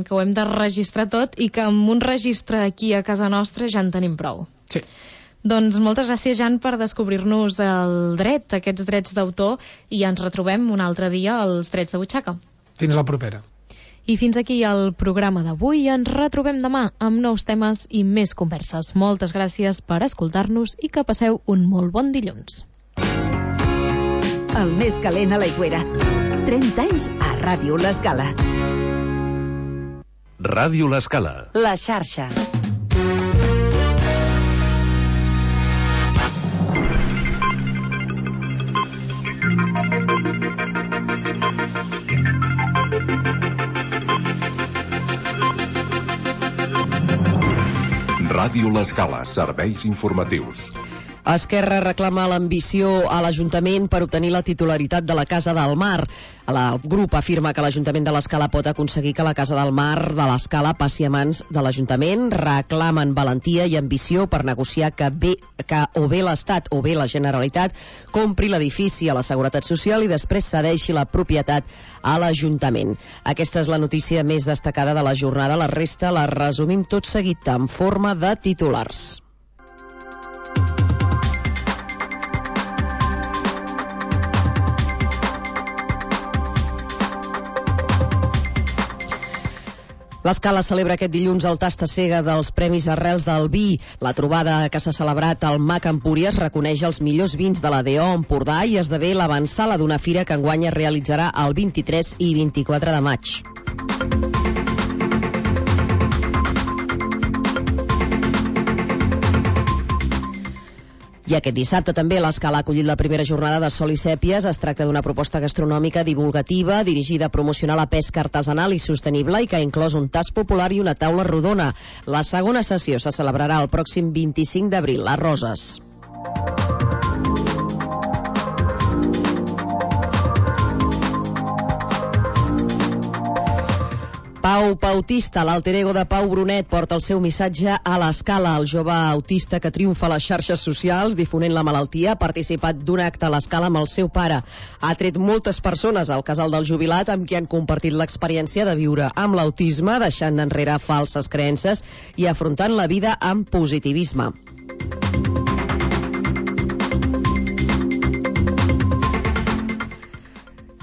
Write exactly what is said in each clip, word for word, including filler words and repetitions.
que ho hem de registrar tot i que amb un registre aquí a casa nostra ja en tenim prou. Sí. Doncs moltes gràcies, Jan, per descobrir-nos el dret, aquests drets d'autor, i ens retrobem un altre dia als Drets de Butxaca. Fins la propera. I fins aquí el programa d'avui. Ens retrobem demà amb nous temes i més converses. Moltes gràcies per escoltar-nos i que passeu un molt bon dilluns. El més calent a l'Aigüera. trenta anys a Ràdio L'Escala. Ràdio L'Escala. La xarxa. Ràdio L'Escala, serveis informatius. Esquerra reclama l'ambició a l'Ajuntament per obtenir la titularitat de la Casa del Mar. El grup afirma que l'Ajuntament de l'Escala pot aconseguir que la Casa del Mar de l'Escala passi a mans de l'Ajuntament. Reclamen valentia i ambició per negociar que, bé, que o bé l'Estat o bé la Generalitat compri l'edifici a la Seguretat Social i després cedeixi la propietat a l'Ajuntament. Aquesta és la notícia més destacada de la jornada. La resta la resumim tot seguit en forma de titulars. L'Escala celebra aquest dilluns el tasta cega dels Premis Arrels del Vi. La trobada que s'ha celebrat al Mac Empúries reconeix els millors vins de la D O Empordà i esdevé l'avantsala d'una fira que enguany es realitzarà el vint-i-tres i vint-i-quatre de maig. I aquest dissabte també l'Escala ha acollit la primera jornada de Sol i Sèpies. Es tracta d'una proposta gastronòmica divulgativa dirigida a promocionar la pesca artesanal i sostenible i que ha inclòs un tast popular i una taula rodona. La segona sessió se celebrarà el pròxim vint-i-cinc d'abril a Roses. Pau Pautista, l'alter ego de Pau Brunet, porta el seu missatge a l'Escala. El jove autista que triomfa a les xarxes socials difonent la malaltia ha participat d'un acte a l'Escala amb el seu pare. Ha tret moltes persones al casal del jubilat amb qui han compartit l'experiència de viure amb l'autisme, deixant enrere falses creences i afrontant la vida amb positivisme.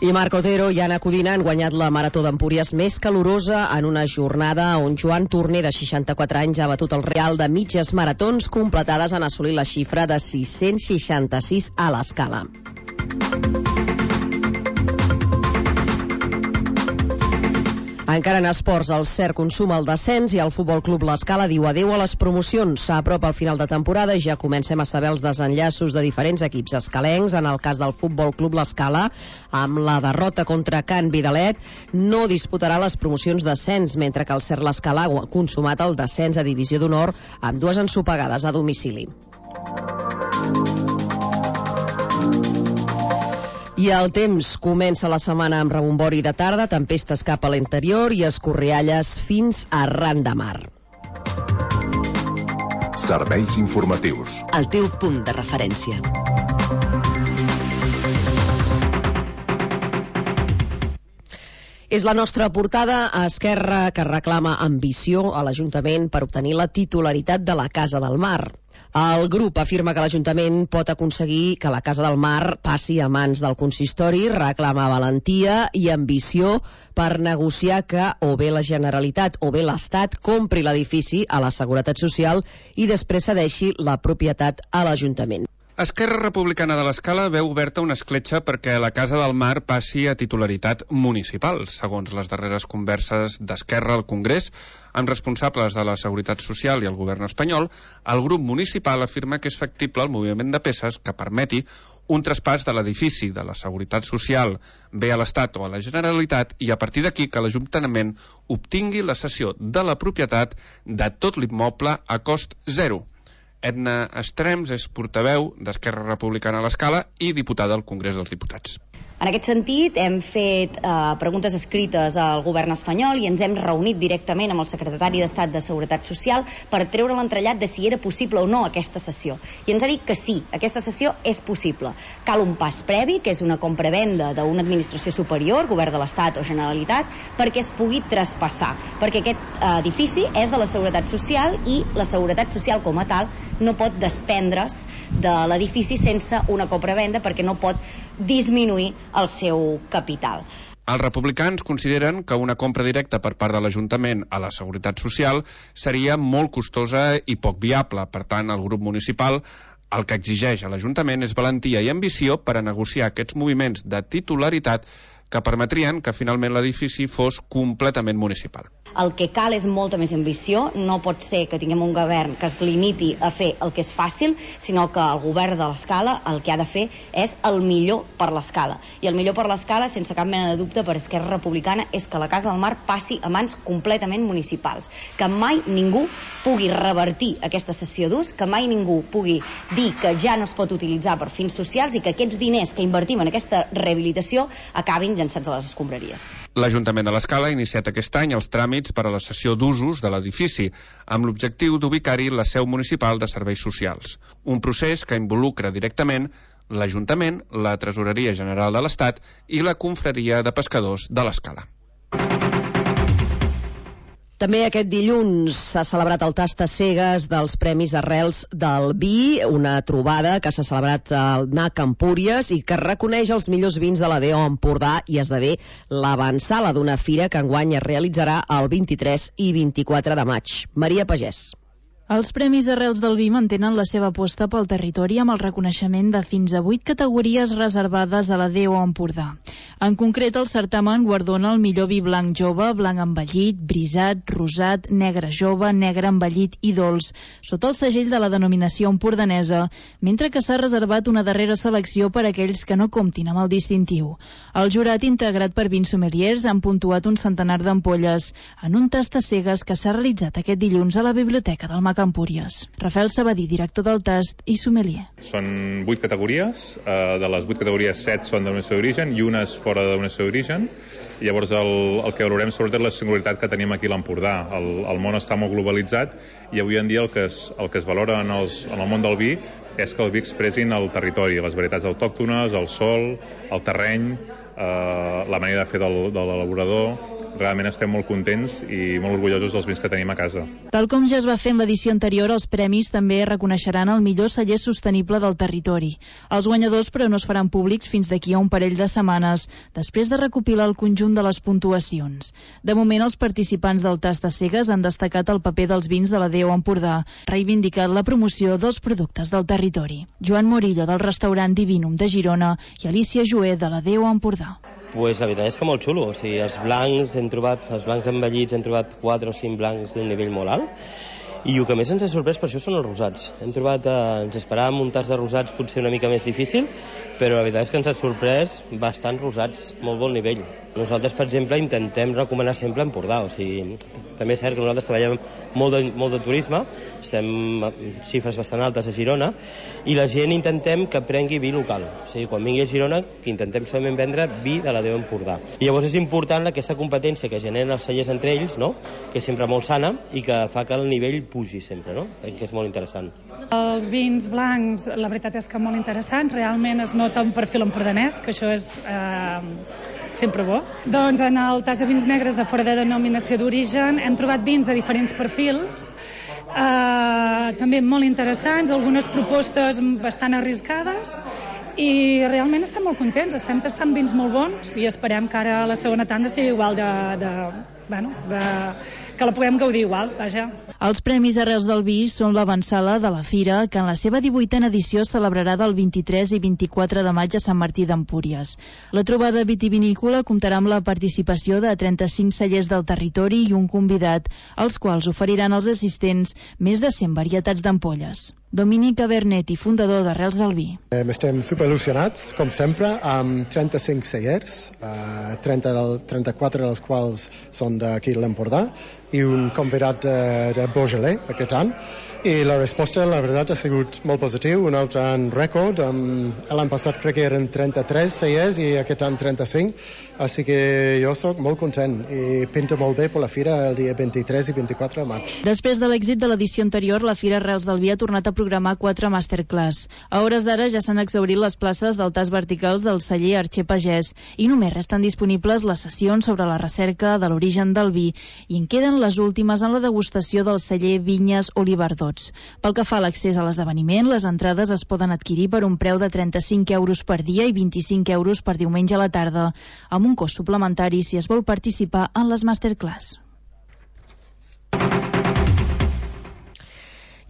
I Marc Otero i Anna Codina han guanyat la Marató d'Empúries més calorosa en una jornada on Joan Torner, de seixanta-quatre anys, ha batut el real de mitges maratons completades en assolir la xifra de sis-cents seixanta-sis a l'Escala. Encara en esports, el cert consuma el descens i el Futbol Club L'Escala diu adeu a les promocions. S'apropa al final de temporada i ja comencem a saber els desenllaços de diferents equips escalencs. En el cas del Futbol Club L'Escala, amb la derrota contra Can Vidalet, no disputarà les promocions d'ascens, mentre que el cert L'Escala ha consumat el descens a Divisió d'Honor amb dues ensopegades a domicili. I el temps comença la setmana amb rebombori de tarda, tempestes cap a l'interior i escorrialles fins a ran de mar. Serveis informatius. El teu punt de referència. És la nostra portada a Esquerra, que reclama ambició a l'Ajuntament per obtenir la titularitat de la Casa del Mar. El grup afirma que l'Ajuntament pot aconseguir que la Casa del Mar passi a mans del consistori, reclama valentia i ambició per negociar que o bé la Generalitat o bé l'Estat compri l'edifici a la Seguretat Social i després cedeixi la propietat a l'Ajuntament. Esquerra Republicana de l'Escala veu oberta una escletxa perquè la Casa del Mar passi a titularitat municipal. Segons les darreres converses d'Esquerra al Congrés, amb responsables de la Seguretat Social i el govern espanyol, el grup municipal afirma que és factible el moviment de peces que permeti un traspàs de l'edifici de la Seguretat Social bé a l'Estat o a la Generalitat i a partir d'aquí que l'Ajuntament obtingui la cessió de la propietat de tot l'immoble a cost zero. Edna Estrems és portaveu d'Esquerra Republicana a l'Escala i diputada al Congrés dels Diputats. En aquest sentit, hem fet eh, preguntes escrites al govern espanyol i ens hem reunit directament amb el secretari d'Estat de Seguretat Social per treure l'entrellat de si era possible o no aquesta sessió. I ens ha dit que sí, aquesta sessió és possible. Cal un pas previ, que és una compravenda d'una administració superior, govern de l'Estat o Generalitat, perquè es pugui traspassar. Perquè aquest eh, edifici és de la Seguretat Social i la Seguretat Social com a tal no pot desprendre's de l'edifici sense una compravenda perquè no pot disminuir el seu capital. Els republicans consideren que una compra directa per part de l'Ajuntament a la Seguretat Social seria molt costosa i poc viable. Per tant, el grup municipal el que exigeix a l'Ajuntament és valentia i ambició per a negociar aquests moviments de titularitat que permetrien que finalment l'edifici fos completament municipal. El que cal és molta més ambició. No pot ser que tinguem un govern que es limiti a fer el que és fàcil, sinó que el govern de l'Escala el que ha de fer és el millor per l'Escala. I el millor per l'Escala, sense cap mena de dubte, per Esquerra Republicana, és que la Casa del Mar passi a mans completament municipals. Que mai ningú pugui revertir aquesta cessió d'ús, que mai ningú pugui dir que ja no es pot utilitzar per fins socials i que aquests diners que invertim en aquesta rehabilitació acabin llançats a les escombraries. L'Ajuntament de l'Escala ha iniciat aquest any els tràmits per a la cessió d'usos de l'edifici, amb l'objectiu d'ubicar-hi la seu municipal de serveis socials. Un procés que involucra directament l'Ajuntament, la Tresoreria General de l'Estat i la Confraria de Pescadors de l'Escala. També aquest dilluns s'ha celebrat el Tastacegues dels Premis Arrels del Vi, una trobada que s'ha celebrat al N A C Empúries i que reconeix els millors vins de la D O Empordà i esdevé l'avantsala d'una fira que enguany es realitzarà el vint-i-tres i vint-i-quatre de maig. Maria Pagès. Els Premis Arrels del Vi mantenen la seva aposta pel territori amb el reconeixement de fins a vuit categories reservades a la D O Empordà. En concret, el certamen guardona el millor vi blanc jove, blanc envellit, brisat, rosat, negre jove, negre envellit i dolç, sota el segell de la denominació empordanesa, mentre que s'ha reservat una darrera selecció per a aquells que no comptin amb el distintiu. El jurat, integrat per vint sommeliers, han puntuat un centenar d'ampolles en un tastacegues que s'ha realitzat aquest dilluns a la Biblioteca del Mac Empúries. Rafael Sabadí, director del tast i sommelier. Són vuit categories, eh, de les vuit categories set són denominació d'origen i una és fora de denominació d'origen. Llavors el, el que valorem sobretot és la singularitat que tenim aquí a l'Empordà. El, el món està molt globalitzat i avui en dia el que es, el que es valora en, els, en el món del vi és que el vi expressin el territori, les varietats autòctones, el sol, el terreny, eh, la manera de fer del, de l'elaborador. Realment estem molt contents i molt orgullosos dels vins que tenim a casa. Tal com ja es va fer en l'edició anterior, els premis també reconeixeran el millor celler sostenible del territori. Els guanyadors, però, no es faran públics fins d'aquí a un parell de setmanes, després de recopilar el conjunt de les puntuacions. De moment, els participants del Tastacegues han destacat el paper dels vins de la D O Empordà, reivindicant la promoció dels productes del territori. Joan Morillo, del restaurant Divinum de Girona, i Alicia Joé, de la D O Empordà. Pues la veritat és que molt xulo, o sigui, els blancs hem trobat, els blancs envellits hem trobat quatre o cinc blancs d'un nivell molt alt, i el que més ens ha sorprès per això són els rosats. Hem trobat, eh, ens esperàvem un tas de rosats potser una mica més difícil, però la veritat és que ens ha sorprès bastant rosats, molt bon nivell. Nosaltres, per exemple, intentem recomanar sempre Empordà, o sigui, també és cert que nosaltres treballem molt de, molt de turisme, estem amb xifres bastant altes a Girona, i la gent intentem que prengui vi local. O sigui, quan vingui a Girona, que intentem solament vendre vi de la D O Empordà. I llavors és important aquesta competència que generen els cellers entre ells, no?, que és sempre molt sana i que fa que el nivell pugi sempre, no?, que és molt interessant. Els vins blancs, la veritat és que molt interessants, realment es nota un perfil empordanès, que això és eh, sempre bo. Doncs en el tas de vins negres de fora de denominació d'origen hem trobat vins de diferents perfils, eh, també molt interessants, algunes propostes bastant arriscades, i realment estem molt contents, estem tastant vins molt bons i esperem que ara la segona tanda sigui igual de, de, bueno, de, que la puguem gaudir igual, vaja. Els Premis Arrels del Vi són l'avantsala de la fira, que en la seva divuitena edició es celebrarà del vint-i-tres i vint-i-quatre de maig a Sant Martí d'Empúries. La trobada vitivinícola comptarà amb la participació de trenta-cinc cellers del territori i un convidat, els quals oferiran als assistents més de cent varietats d'ampolles. Dominic Abernethy, fundador d'Arrels del Vi. Eh, estem superil·lusionats, com sempre, amb trenta-cinc cellers, eh, trenta, trenta-quatre dels quals són d'aquí de l'Empordà, i un convidat de, de Beaujolais aquest any. I la resposta, la veritat, ha sigut molt positiu, un altre any rècord. Um, l'any passat crec que eren trenta-tres cellers i aquest any trenta-cinc, així que jo sóc molt content i pinta molt bé per la fira el dia vint-i-tres i vint-i-quatre de maig. Després de l'èxit de l'edició anterior, la Fira Arrels del Vi ha tornat a programar quatre masterclass. A hores d'ara ja s'han exhaurit les places del tas verticals del celler Arxer Pagès i només resten disponibles les sessions sobre la recerca de l'origen del vi i en queden les últimes en la degustació del celler Vinyes Oliverdots. Pel que fa a l'accés a l'esdeveniment, les entrades es poden adquirir per un preu de trenta-cinc euros per dia i vint-i-cinc euros per diumenge a la tarda, amb un cost suplementari si es vol participar en les masterclass.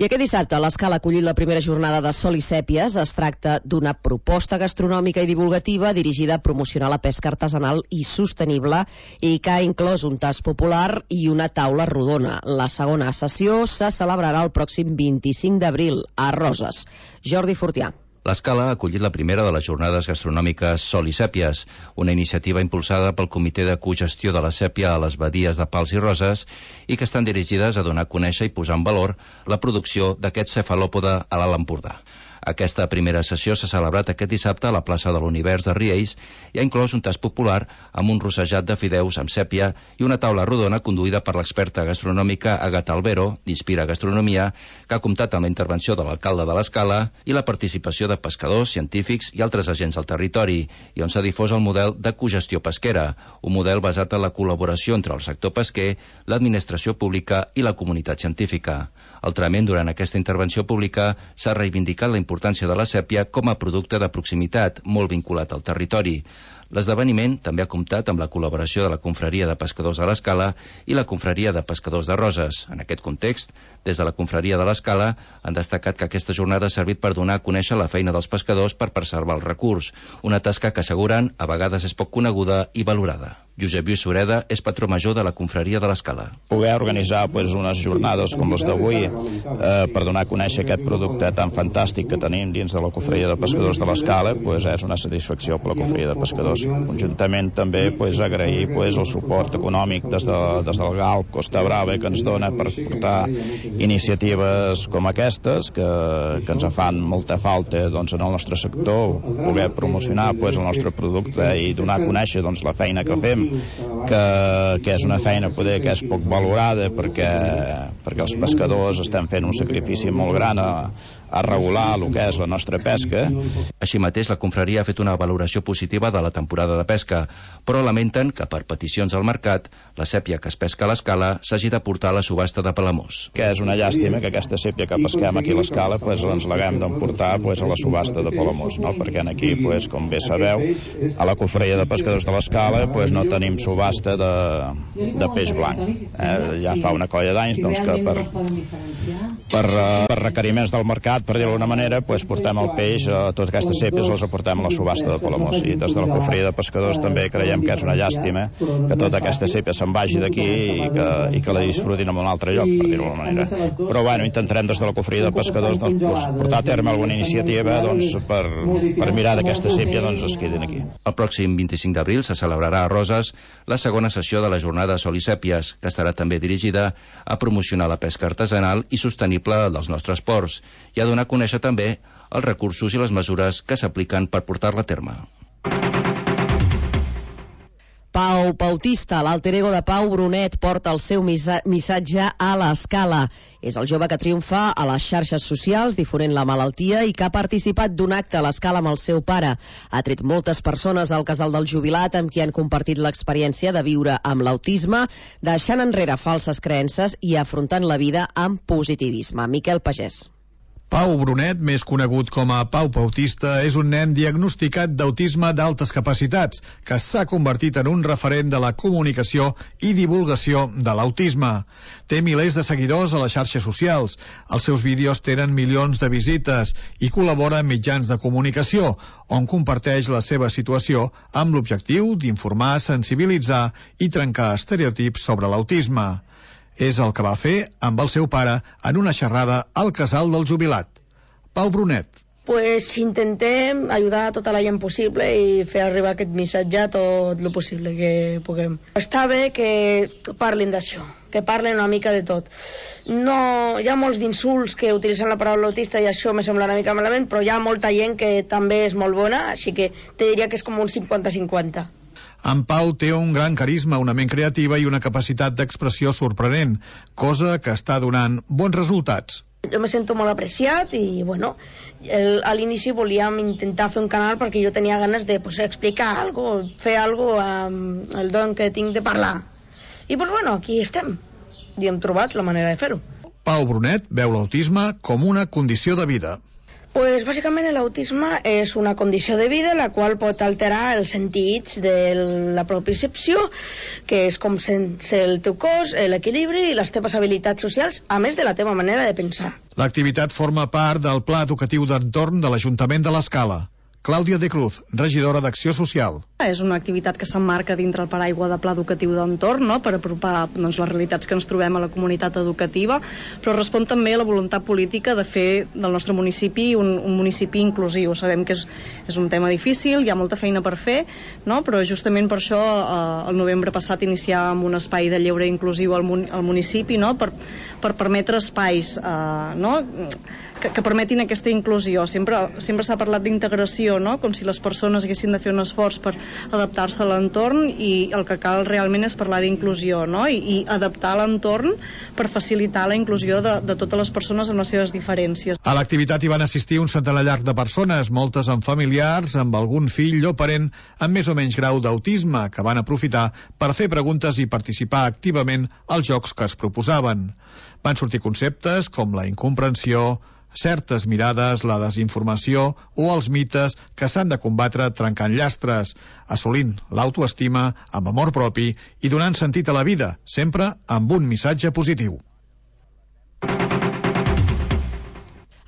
I aquest dissabte l'Escala ha acollit la primera jornada de Sol i Sèpies. Es tracta d'una proposta gastronòmica i divulgativa dirigida a promocionar la pesca artesanal i sostenible i que ha inclòs un tast popular i una taula rodona. La segona sessió se celebrarà el pròxim vint-i-cinc d'abril a Roses. Jordi Fortià. L'Escala ha acollit la primera de les jornades gastronòmiques Sol i Sèpies, una iniciativa impulsada pel Comitè de Cogestió de la Sèpia a les badies de Pals i Roses i que estan dirigides a donar a conèixer i posar en valor la producció d'aquest cefalòpode a l'Alt Empordà. Aquesta primera sessió s'ha celebrat aquest dissabte a la plaça de l'Univers de Riells i ha inclòs un tast popular amb un rossejat de fideus amb sèpia i una taula rodona conduïda per l'experta gastronòmica Agata Albero, d'Inspira Gastronomia, que ha comptat amb la intervenció de l'alcalde de l'Escala i la participació de pescadors, científics i altres agents del territori, i on s'ha difós el model de cogestió pesquera, un model basat en la col·laboració entre el sector pesquer, l'administració pública i la comunitat científica. Altrament, durant aquesta intervenció pública s'ha reivindicat la importància de la sèpia com a producte de proximitat, molt vinculat al territori. L'esdeveniment també ha comptat amb la col·laboració de la Confraria de Pescadors de l'Escala i la Confraria de Pescadors de Roses. En aquest context, des de la Confraria de l'Escala han destacat que aquesta jornada ha servit per donar a conèixer la feina dels pescadors per preservar el recurs, una tasca que asseguren a vegades és poc coneguda i valorada. Josep Lluís Sureda és patró major de la Confraria de l'Escala. Poder organitzar pues, unes jornades com les d'avui eh, per donar a conèixer aquest producte tan fantàstic que tenim dins de la Confraria de Pescadors de l'Escala pues, és una satisfacció per la Confraria de Pescadors. Conjuntament també pues, agrair pues, el suport econòmic des, de, des del Galp Costa Brava que ens dona per portar iniciatives com aquestes que, que ens fan molta falta doncs, en el nostre sector, poder promocionar pues, el nostre producte i donar a conèixer doncs, la feina que fem Que, que és una feina poder que és poc valorada perquè, perquè els pescadors estem fent un sacrifici molt gran a, a regular el que és la nostra pesca. Així mateix, la confraria ha fet una valoració positiva de la temporada de pesca, però lamenten que per peticions al mercat la sèpia que es pesca a l'Escala s'hagi de portar a la subhasta de Palamós. Que és una llàstima que aquesta sèpia que pesquem aquí a l'Escala pues, ens l'haguem d'emportar pues, a la subhasta de Palamós, no? Perquè aquí, pues, com bé sabeu, a la confraria de pescadors de l'Escala pues, no tenim subhasta de, de peix blanc. Eh? Ja fa una colla d'anys doncs, que per, per, per requeriments del mercat, per dir-ho d'alguna manera, pues, portem el peix, a totes aquestes sèpies les aportem a la subhasta de Palamós. I des de la confraria de pescadors també creiem que és una llàstima que tota aquesta sèpia se'n vagi d'aquí i, que, i que la disfrutin en un altre lloc, per dir-ho d'alguna manera. Però bueno, intentarem des de la confraria de pescadors doncs, pues, portar a terme alguna iniciativa doncs, per, per mirar d'aquesta sèpia doncs, es quedin aquí. El pròxim vint-i-cinc d'abril se celebrarà a Roses la segona sessió de la jornada Sol i Sèpies, que estarà també dirigida a promocionar la pesca artesanal i sostenible dels nostres ports i a donar a conèixer també els recursos i les mesures que s'apliquen per portar-la a terme. Pau Bautista, l'alter ego de Pau Brunet, porta el seu missatge a l'Escala. És el jove que triomfa a les xarxes socials difonent la malaltia i que ha participat d'un acte a l'Escala amb el seu pare. Ha tret moltes persones al casal del jubilat amb qui han compartit l'experiència de viure amb l'autisme, deixant enrere falses creences i afrontant la vida amb positivisme. Miquel Pagès. Pau Brunet, més conegut com a Pau Bautista, és un nen diagnosticat d'autisme d'altes capacitats, que s'ha convertit en un referent de la comunicació i divulgació de l'autisme. Té milers de seguidors a les xarxes socials, els seus vídeos tenen milions de visites i col·labora en mitjans de comunicació, on comparteix la seva situació amb l'objectiu d'informar, sensibilitzar i trencar estereotips sobre l'autisme. És el que va fer amb el seu pare en una xerrada al casal del jubilat. Pau Brunet. Pues intentem ajudar a tota la gent possible i fer arribar aquest missatge tot el possible que puguem. Està bé que parlin d'això, que parlen una mica de tot. No, hi ha molts d'insults que utilitzen la paraula autista i això me sembla una mica malament, però hi ha molta gent que també és molt bona, així que te diria que és com un cinquanta cinquanta. En Pau té un gran carisma, una ment creativa i una capacitat d'expressió sorprenent, cosa que està donant bons resultats. Jo me sento molt apreciat i, bueno, el, a l'inici volíem intentar fer un canal perquè jo tenia ganes de pues, explicar alguna cosa, fer alguna cosa amb el don que tinc de parlar. I, pues, bueno, aquí estem. I hem trobat la manera de fer-ho. Pau Brunet veu l'autisme com una condició de vida. Pues bàsicament l'autisme és una condició de vida la qual pot alterar els sentits de la propriocepció, que és com sense el teu cos, l'equilibri i les teves habilitats socials, a més de la teva manera de pensar. L'activitat forma part del Pla Educatiu d'Entorn de l'Ajuntament de l'Escala. Clàudia de Cruz, regidora d'Acció Social. És una activitat que s'emmarca dintre el paraigua de Pla Educatiu d'Entorn, no?, per apropar doncs, les realitats que ens trobem a la comunitat educativa, però respon també a la voluntat política de fer del nostre municipi un, un municipi inclusiu. Sabem que és, és un tema difícil, hi ha molta feina per fer, no?, però justament per això eh, el novembre passat iniciàvem un espai de lleure inclusiu al, mun al municipi, no?, per, per permetre espais eh, no?, que, que permetin aquesta inclusió. Sempre, sempre s'ha parlat d'integració, no?, com si les persones haguessin de fer un esforç per adaptar-se a l'entorn, i el que cal realment és parlar d'inclusió, no?, I, i adaptar l'entorn per facilitar la inclusió de, de totes les persones amb les seves diferències. A l'activitat hi van assistir un centenar llarg de persones, moltes amb familiars, amb algun fill o parent amb més o menys grau d'autisme, que van aprofitar per fer preguntes i participar activament als jocs que es proposaven. Van sortir conceptes com la incomprensió, certes mirades, la desinformació o els mites que s'han de combatre trencant llastres, assolint l'autoestima amb amor propi i donant sentit a la vida, sempre amb un missatge positiu.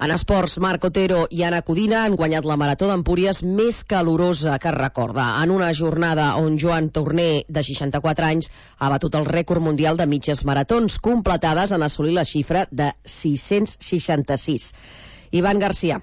En esports, Marc Otero i Anna Codina han guanyat la Marató d'Empúries més calorosa que es recorda, en una jornada on Joan Torner, de seixanta-quatre anys, ha batut el rècord mundial de mitges maratons, completades en assolir la xifra de sis-cents seixanta-sis. Ivan Garcia.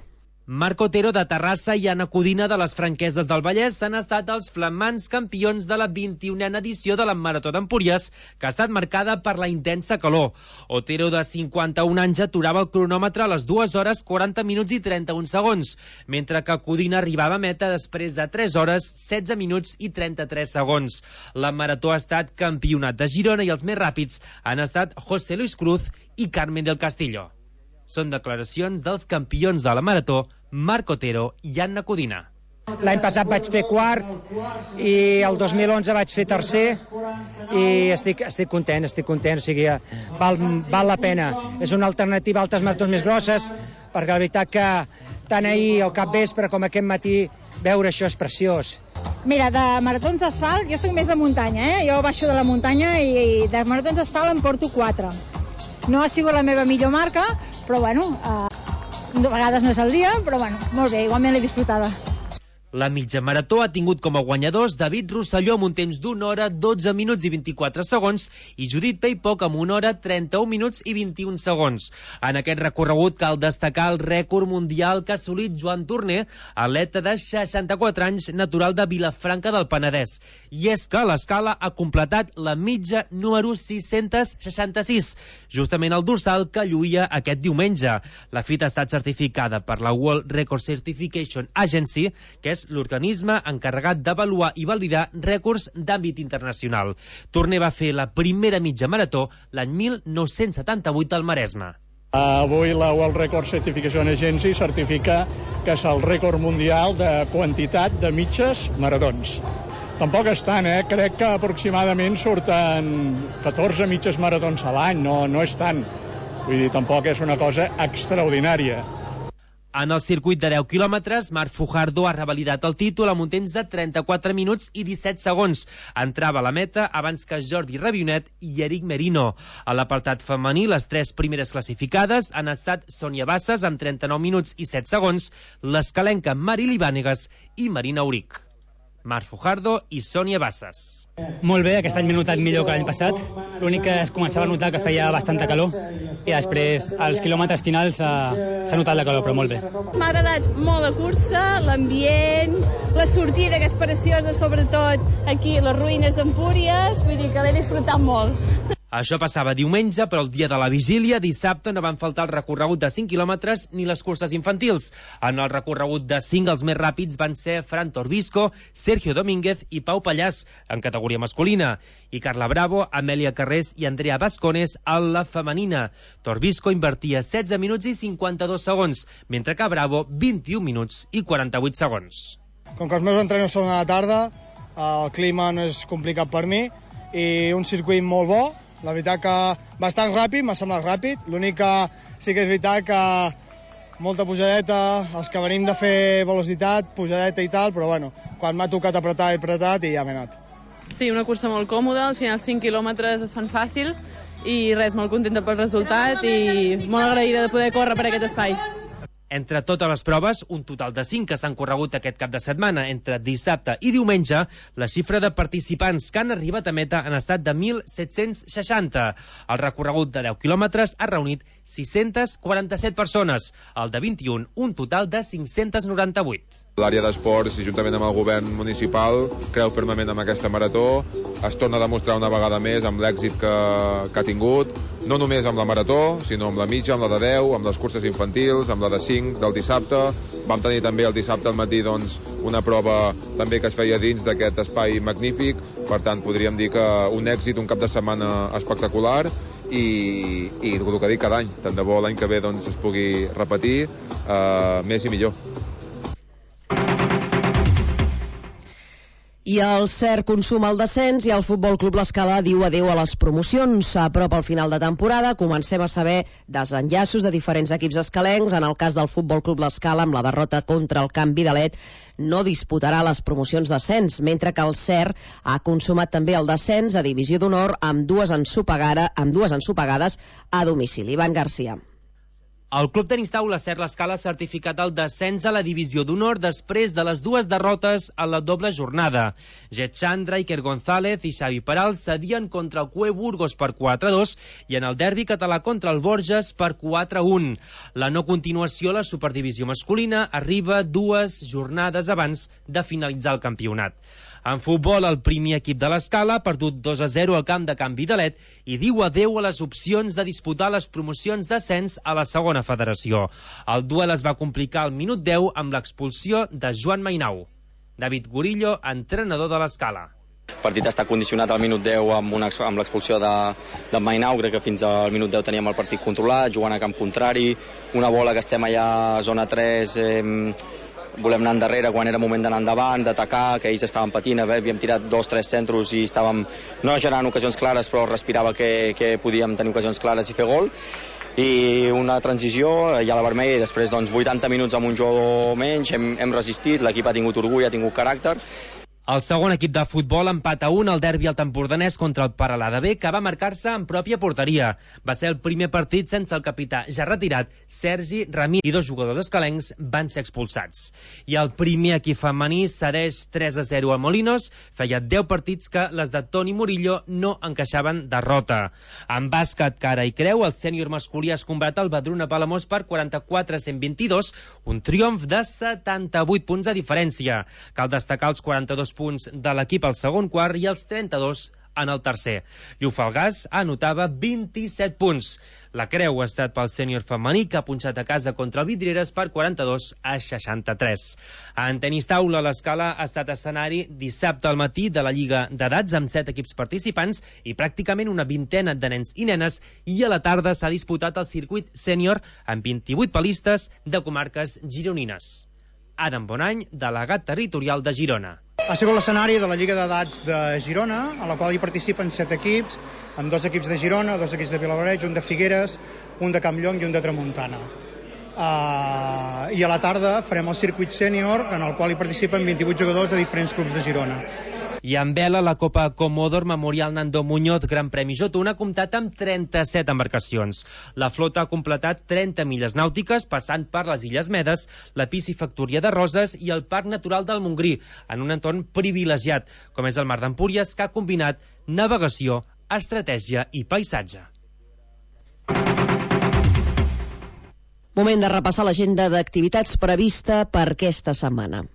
Marc Otero de Terrassa i Anna Codina de les Franqueses del Vallès han estat els flamants campions de la vint-i-unena edició de la Marató d'Empúries, que ha estat marcada per la intensa calor. Otero, de cinquanta-un anys, aturava el cronòmetre a les dues hores quaranta minuts i trenta-un segons, mentre que Codina arribava a meta després de tres hores setze minuts i trenta-tres segons. La Marató ha estat campionat de Girona i els més ràpids han estat José Luis Cruz i Carmen del Castillo. Són declaracions dels campions de la Marató, Marc Otero i Anna Codina. L'any passat vaig fer quart i el dos mil onze vaig fer tercer i estic, estic content, estic content, o sigui, val, val la pena. És una alternativa a altres maratons més grosses, perquè la veritat que tant ahir al capvespre com aquest matí veure això és preciós. Mira, de maratons d'asfalt, jo soc més de muntanya, eh? Jo baixo de la muntanya i, i de maratons d'asfalt em porto quatre. No ha sigut la meva millor marca, però bueno, eh, a vegades no és el dia, però bueno, molt bé, igualment l'he disfrutada. La mitja marató ha tingut com a guanyadors David Rosselló amb un temps d'una hora, dotze minuts i vint-i-quatre segons i Judit Peipoc amb una hora, trenta-un minuts i vint-i-un segons. En aquest recorregut cal destacar el rècord mundial que ha assolit Joan Torner, atleta de seixanta-quatre anys, natural de Vilafranca del Penedès. I és que l'Escala ha completat la mitja número sis-cents seixanta-sis, justament el dorsal que lluïa aquest diumenge. La fita ha estat certificada per la World Record Certification Agency, que és l'organisme encarregat d'avaluar i validar rècords d'àmbit internacional. Torner va fer la primera mitja marató l'any mil nou-cents setanta-vuit al Maresme. Avui la World Record Certification Agency certifica que és el rècord mundial de quantitat de mitges maratons. Tampoc és tant, eh? Crec que aproximadament surten catorze mitges maratons a l'any, no, no és tant. Vull dir, tampoc és una cosa extraordinària. En el circuit de deu quilòmetres, Marc Fujardo ha revalidat el títol amb un temps de trenta-quatre minuts i disset segons. Entrava a la meta abans que Jordi Rabionet i Eric Merino. A l'apartat femení, les tres primeres classificades han estat Sònia Bassas amb trenta-nou minuts i set segons, l'escalenca Mari Libànegas i Marina Auric. Marc Fujardo i Sònia Bassas. Molt bé, aquest any m'he notat millor que l'any passat. L'únic que es començava a notar que feia bastanta calor i després, als quilòmetres finals, s'ha notat la calor, però molt bé. M'ha agradat molt la cursa, l'ambient, la sortida, que és preciosa, sobretot aquí, les ruïnes d'Empúries, vull dir que l'he disfrutat molt. Això passava diumenge, però el dia de la vigília, dissabte, no van faltar el recorregut de cinc quilòmetres ni les curses infantils. En el recorregut de cinc, els més ràpids van ser Fran Torbisco, Sergio Domínguez i Pau Pallàs, en categoria masculina, i Carla Bravo, Amèlia Carrés i Andrea Vascones en la femenina. Torbisco invertia setze minuts i cinquanta-dos segons, mentre que Bravo vint-i-un minuts i quaranta-vuit segons. Com que els meus entrenos són a la tarda, el clima no és complicat per mi i un circuit molt bo. La veritat que bastant ràpid, m'ha semblat ràpid. L'únic que sí que és veritat que molta pujadeta, els que venim de fer velocitat, pujadeta i tal, però bueno, quan m'ha tocat apretar, he apretat i ja m'he anat. Sí, una cursa molt còmoda, al final cinc quilòmetres es fan fàcil i res, molt contenta pel resultat i molt agraïda de poder córrer per aquest espai. Entre totes les proves, un total de cinc que s'han corregut aquest cap de setmana, entre dissabte i diumenge, la xifra de participants que han arribat a meta han estat de mil set-cents seixanta. El recorregut de deu quilòmetres ha reunit sis-centes quaranta-set persones, el de vint-i-un, un total de cinc-cents noranta-vuit. L'àrea d'esports, juntament amb el govern municipal, creu fermament en aquesta marató, es torna a demostrar una vegada més amb l'èxit que, que ha tingut, no només amb la marató, sinó amb la mitja, amb la de deu, amb les curses infantils, amb la de cinc del dissabte. Vam tenir també el dissabte al matí doncs, una prova també que es feia dins d'aquest espai magnífic, per tant podríem dir que un èxit, un cap de setmana espectacular i, i el que dic cada any, tant de bo l'any que ve doncs, es pugui repetir eh, més i millor. I el cert consum al descens i el Futbol Club L'Escala diu adeu a les promocions. A prop al final de temporada comencem a saber desenllaços de diferents equips escalencs. En el cas del Futbol Club L'Escala, amb la derrota contra el Camp Vidalet, no disputarà les promocions d'ascens, mentre que el cert ha consumat també el descens a Divisió d'Honor amb dues ensopegades, amb dues ensopegades a domicili. Ivan Garcia. El Club Tenis Taula Cert L'Escala ha certificat el descens a la Divisió d'Honor després de les dues derrotes a la doble jornada. Jet Chandra, Iker González i Xavi Peral cedien contra el Cue Burgos per quatre a dos i en el derbi català contra el Borges per quatre a un. La no continuació a la Superdivisió masculina arriba dues jornades abans de finalitzar el campionat. En futbol, el primer equip de l'Escala ha perdut dos a zero al camp de Can Vidalet i diu adeu a les opcions de disputar les promocions d'ascens a la segona federació. El duel es va complicar al minut deu amb l'expulsió de Joan Mainau. David Gorillo, entrenador de l'Escala. El partit està condicionat al minut deu amb, una, amb l'expulsió de, de Mainau. Crec que fins al minut deu teníem el partit controlat, jugant a camp contrari, una bola que estem allà a zona tres... Eh, volem anar endarrere quan era moment d'anar endavant, d'atacar, que ells estaven patint, havíem tirat dos, tres centros i estàvem no generant ocasions clares, però respirava que, que podíem tenir ocasions clares i fer gol. I una transició, ja la vermella, i després doncs, vuitanta minuts amb un jugador menys, hem, hem resistit, l'equip ha tingut orgull, ha tingut caràcter. El segon equip de futbol empat a un al derbi al Tempordanès contra el Paralada B, que va marcar-se en pròpia porteria. Va ser el primer partit sense el capità ja retirat, Sergi Ramí, i dos jugadors escalencs van ser expulsats. I el primer equip femení cedeix tres a zero a Molinos. Feia deu partits que les de Toni Murillo no encaixaven derrota. En bàsquet, cara i creu, el sènior masculí es combat al Badruna Palamós per quaranta-quatre a cent vint-i-dos, un triomf de setanta-vuit punts de diferència. Cal destacar els quaranta-dos punts de l'equip al segon quart i els trenta-dos en el tercer. Llufalgàs anotava vint-i-set punts. La creu ha estat pel sènior femení, que ha punxat a casa contra el Vidrieres per quaranta-dos a seixanta-tres. En tenis taula, l'Escala ha estat escenari dissabte al matí de la Lliga d'Edats amb set equips participants i pràcticament una vintena de nens i nenes, i a la tarda s'ha disputat el circuit sènior amb vint-i-vuit palistes de comarques gironines. Adam Bonany, delegat territorial de Girona. Ha sigut l'escenari de la Lliga d'Edats de Girona, a la qual hi participen set equips, amb dos equips de Girona, dos equips de Vilablareix, un de Figueres, un de Campllong i un de Tramuntana. Uh, I a la tarda farem el circuit sènior, en el qual hi participen vint-i-vuit jugadors de diferents clubs de Girona. I en vela, la Copa Comodor Memorial Nando Muñoz Gran Premi J un ha comptat amb trenta-set embarcacions. La flota ha completat trenta milles nàutiques, passant per les Illes Medes, la piscifactoria de Roses i el Parc Natural del Montgrí, en un entorn privilegiat, com és el Mar d'Empúries, que ha combinat navegació, estratègia i paisatge. Moment de repassar l'agenda d'activitats prevista per aquesta setmana.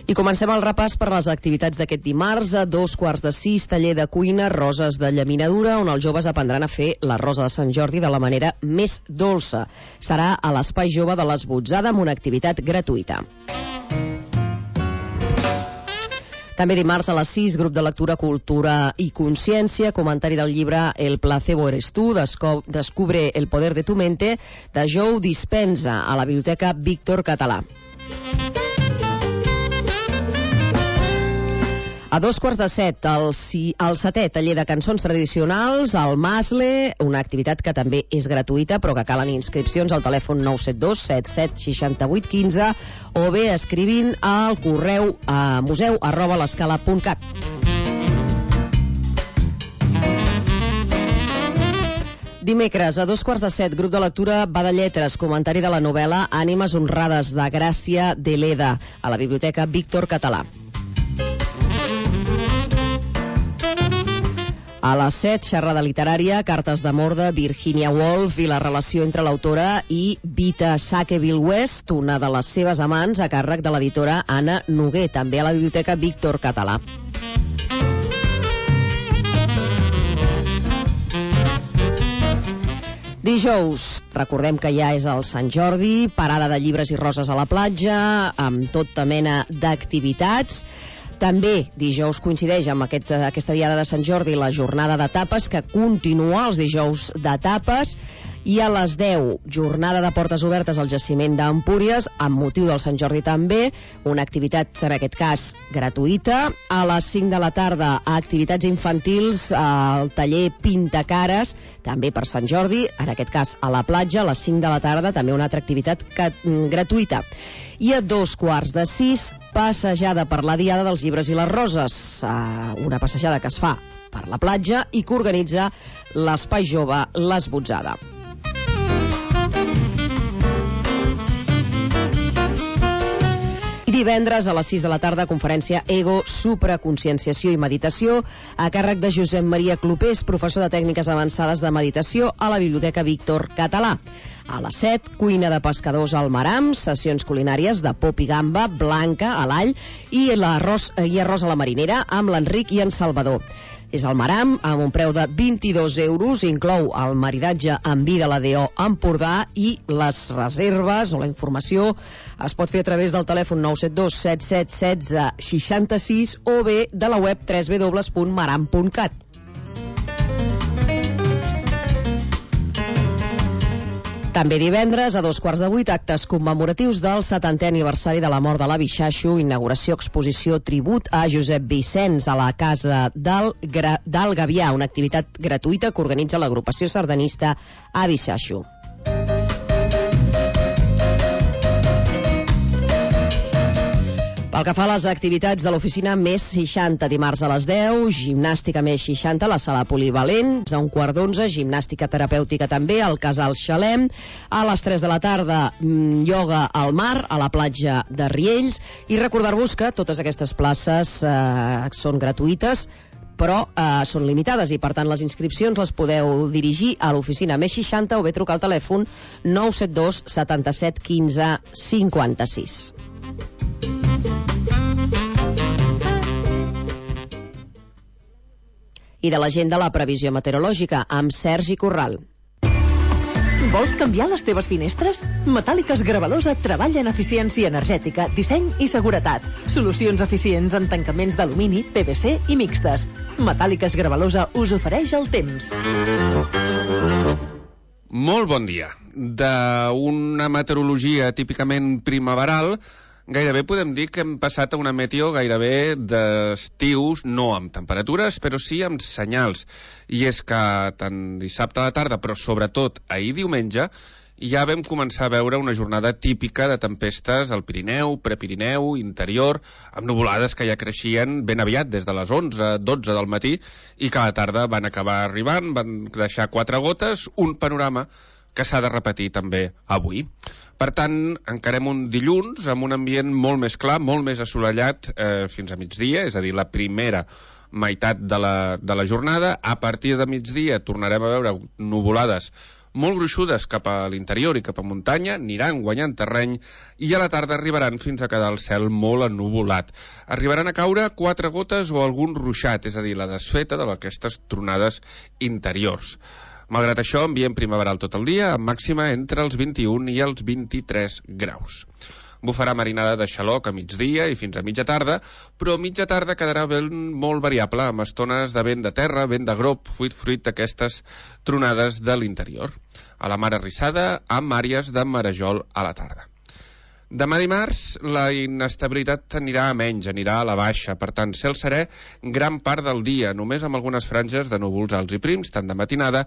I comencem el repàs per les activitats d'aquest dimarts. A dos quarts de sis, taller de cuina, roses de llaminadura, on els joves aprendran a fer la rosa de Sant Jordi de la manera més dolça. Serà a l'Espai Jove de l'Esbotzada amb una activitat gratuïta. També dimarts a les sis, grup de lectura, cultura i consciència, comentari del llibre El placebo eres tú, descubre el poder de tu mente, de Joe Dispenza, a la Biblioteca Víctor Català. A dos quarts de set, el, si, el setè taller de cançons tradicionals, al Masle, una activitat que també és gratuïta, però que calen inscripcions al telèfon nou set dos set set sis vuit un cinc o bé escrivint al correu a museu arroba l'escala punt cat. Dimecres, a dos quarts de set, grup de lectura Va de Lletres, comentari de la novel·la Ànimes honrades, de Gràcia de Leda, a la Biblioteca Víctor Català. A les set, xerrada literària, cartes d'amor de Virginia Woolf i la relació entre l'autora i Vita Sackville West, una de les seves amants, a càrrec de l'editora Anna Noguer, també a la Biblioteca Víctor Català. Dijous, recordem que ja és el Sant Jordi, parada de llibres i roses a la platja, amb tota mena d'activitats. També dijous coincideix amb aquest, aquesta diada de Sant Jordi la jornada de tapes, que continua els dijous de tapes, i a les deu, jornada de portes obertes al jaciment d'Empúries, amb motiu del Sant Jordi també, una activitat, en aquest cas, gratuïta. A les cinc de la tarda, activitats infantils al taller Pintacares, també per Sant Jordi, en aquest cas a la platja, a les cinc de la tarda, també una altra activitat que, gratuïta. I a dos quarts de sis, passejada per la Diada dels Llibres i les Roses, una passejada que es fa per la platja i que organitza l'Espai Jove l'Esbotzada. Divendres a les sis de la tarda, conferència Ego, supraconscienciació i meditació, a càrrec de Josep Maria Clopés, professor de tècniques avançades de meditació a la Biblioteca Víctor Català. A les set, cuina de pescadors al Maram, sessions culinàries de pop i gamba, blanca a l'all i, l'arròs, i arròs a la marinera amb l'Enric i en Salvador. És al Maram, amb un preu de vint-i-dos euros, inclou el maridatge amb vi de la D O Empordà, i les reserves o la informació es pot fer a través del telèfon nou set dos set set un sis sis sis o bé de la web w w w punt maram punt cat. També divendres, a dos quarts de vuit, actes commemoratius del setantè aniversari de la mort de l'avi Xaxo, inauguració exposició tribut a Josep Vicenç a la Casa del, Gra... del Gavià, una activitat gratuïta que organitza l'agrupació sardanista Avi Xaxo. Pel que fa a les activitats de l'oficina Més seixanta, dimarts a les deu, gimnàstica Més seixanta a la sala polivalent, a un quart d'onze, gimnàstica terapèutica també al Casal Xalem, a les tres de la tarda, ioga al mar, a la platja de Riells, i recordar-vos que totes aquestes places eh, són gratuïtes, però eh, són limitades i, per tant, les inscripcions les podeu dirigir a l'oficina Més seixanta o bé trucar al telèfon nou set dos setanta-set quinze cinquanta-sis. I de la gent de la previsió meteorològica, amb Sergi Corral. Vols canviar les teves finestres? Metàl·liques Gravalosa treballa en eficiència energètica, disseny i seguretat. Solucions eficients en tancaments d'alumini, P V C i mixtes. Metàl·liques Gravalosa us ofereix el temps. Molt bon dia. D'una meteorologia típicament primaveral, gairebé podem dir que hem passat a una meteo gairebé d'estius, no amb temperatures, però sí amb senyals. I és que tant dissabte a la tarda, però sobretot ahir diumenge, ja vam començar a veure una jornada típica de tempestes al Pirineu, Prepirineu, interior, amb nuvolades que ja creixien ben aviat, des de les onze, dotze del matí, i que a la tarda van acabar arribant, van deixar quatre gotes, un panorama que s'ha de repetir també avui. Per tant, encarem un dilluns amb un ambient molt més clar, molt més assolellat eh, fins a migdia, és a dir, la primera meitat de la, de la jornada. A partir de migdia tornarem a veure nuvolades molt gruixudes cap a l'interior i cap a muntanya, aniran guanyant terreny i a la tarda arribaran fins a quedar el cel molt ennuvolat. Arribaran a caure quatre gotes o algun ruixat, és a dir, la desfeta d'aquestes tronades interiors. Malgrat això, ambient primaveral tot el dia, amb màxima entre els vint-i-un i els vint-i-tres graus. Bufarà marinada de xaloc a migdia i fins a mitja tarda, però a mitja tarda quedarà vent molt variable, amb estones de vent de terra, vent de grop, fruit fruit d'aquestes tronades de l'interior. A la mar arrissada, amb àrees de marejol a la tarda. Demà dimarts la inestabilitat anirà a menys, anirà a la baixa, per tant, cel serè gran part del dia, només amb algunes franges de núvols alts i prims, tant de matinada